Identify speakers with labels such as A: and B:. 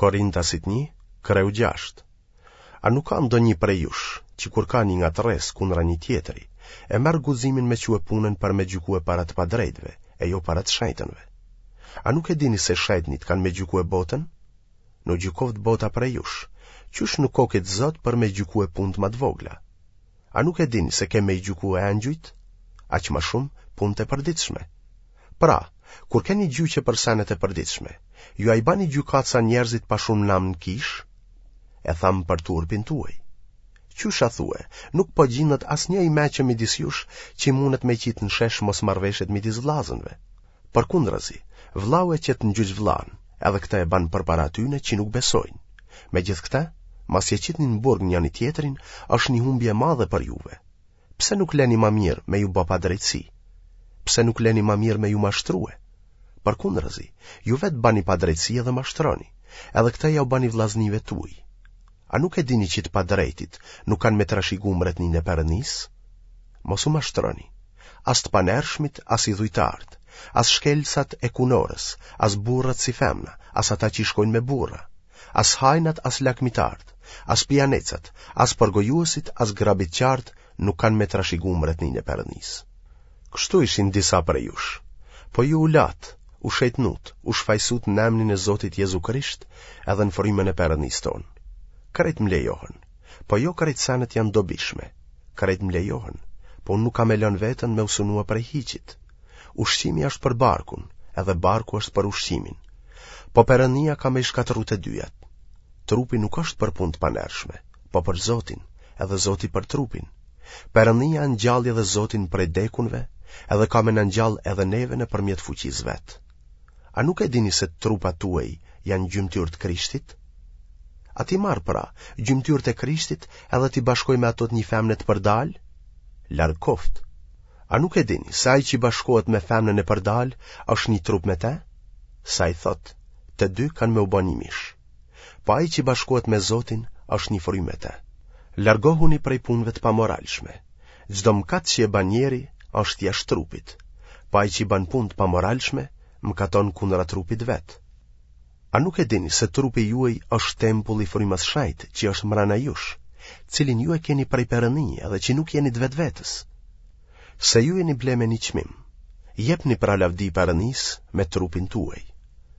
A: Korintasit 1, kreu 6. A nuk ka ndonjë prej jush, që kur ka një ngatërresë kundra një tjetri, e merr guximin me çue punën për me gjykue para të padrejtëve, e jo para të shejtënve? A nuk e dini se shejtnit kanë me gjykue botën? Në u gjykoftë bota prej jush, qysh nuk kokit zot për me gjykue punët ma të vogla? A nuk e dini se kem me i gjykue engjujt? Aq ma shumë punët e përditshme. Pra, kur keni gjyqe për senet e përditshme, ju a i bani gjykatësa njerëzit pa shumë nam në kishë? E tham për turpin tuaj. Qysh a thue, nuk po gjindet asnjë i meçëm midis jush që mundet me qitë në shesh mosmarrëveshjet midis vllazënve. Përkundrazi, vllau e qet në gjyq vllanë, edhe këtë e ban përpara atyne që nuk besojnë. Megjithëkëtë, masi e qitni në burg njëni-tjetrin, është një humbje e madhe për juve. Pse nuk leni ma mirë me ju ba padrejtësi? Pse nuk leni ma mirë me ju mashtrue? Përkundrazi, ju vetë bani padrejtësi edhe mashtroni, edhe këtë jau bani vllaznive tuj. A nuk e dini që të padrejtit nuk kanë me trashigu mbretninë e Perënisë? Mos u mashtroni. As të panershmit, as idhujtarët, as shkelësat e kunorës, as burrat si femna, as ata që shkojnë me burra, as hajnat, as lakmitarët, as pijanecat, as përgojuesit, as grabitqarët nuk kanë me trashigu mbretninë e Perënisë. Kështu ishin disa prej jush. Po ju u latë, u shejtnutë, u shfajsutë në emnin e Zotit Jezu Krisht edhe në frymën e Perënisë tonë. Krejt më lejohen, po jo krejt senet janë dobishme. Krejt më lejohen, po unë nuk kam e lënë veten me u sunua prej hiçit. Ushqimi është për barkun, edhe barku është për ushqimin. Po Perënia ka me i shkatërru të dyjat. Trupi nuk është për punë të panershme, po për Zotin, edhe Zoti për trupin. Perënia ngjalli edhe Zotin prej dekunve, edhe ka me na ngjall edhe neve nëpërmjet fuqisë vet. A nuk e dini se trupat tuaj janë gjymtyrë të Krishtit? A t'i marr pra, gjymtyrët e Krishtit edhe t'i bashkoj me ato të një femne të përdalë? Larg koftë. A nuk e dini se ai që bashkohet me femnën e përdalë është një trup me te? Se ai thotë, të dy kanë me u ba një mish. Po ai që bashkohet me Zotin është një frymë me te. Largohuni prej punëve të pamoralshme. Çdo mëkat që e ban njeri është jashtë trupit. Po ai që ban punë të pamoralshme, mëkaton kundra trupit vet. A nuk e dini se trupi juaj është tempull i frymës shenjtë që është mrena jush, cilin ju e keni prej Perëndie edhe që nuk jeni të vetvetes? Se ju jeni ble me një çmim. Jepni pra lavdi Perëndisë me trupin tuaj.